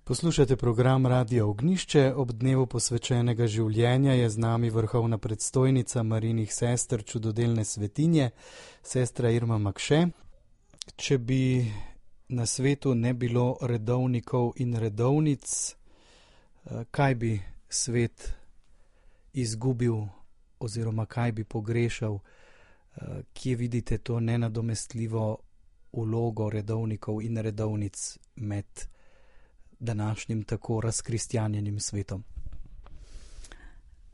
Poslušate program Radio Ognjišče. Ob dnevu posvečenega življenja je z nami vrhovna predstojnica Marijinih sester Čudodelne svetinje, sestra Irma Makše. Če bi na svetu ne bilo redovnikov in redovnic, kaj bi svet izgubil oziroma kaj bi pogrešal? Kje vidite to nenadomestljivo vlogo redovnikov in redovnic med današnjim tako razkristjanjenim svetom?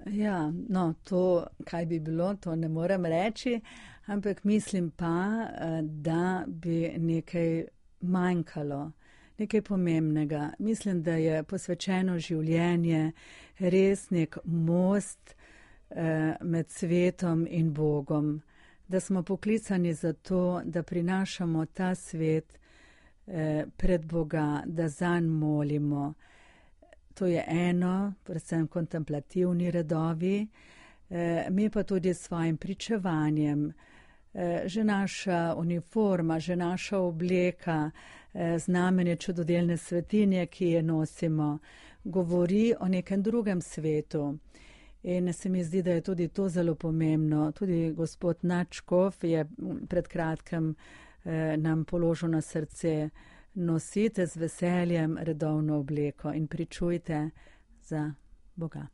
Ja, no, to, kaj bi bilo, to ne morem reči, ampak mislim pa, da bi nekaj manjkalo, nekaj pomembnega. Mislim, da je posvečeno življenje res nek most med svetom in Bogom, da smo poklicani za to, da prinašamo ta svet pred Boga, da zanj molimo. To je eno, predvsem kontemplativni redovi, mi pa tudi s svojim pričevanjem. Že naša uniforma, že naša obleka, znamenje Čudodelne svetinje, ki je nosimo, govori o nekem drugem svetu. In se mi zdi, da je tudi to zelo pomembno. Tudi gospod nadškof je pred kratkim nam položil na srce: nosite z veseljem redovno obleko in pričujte za Boga.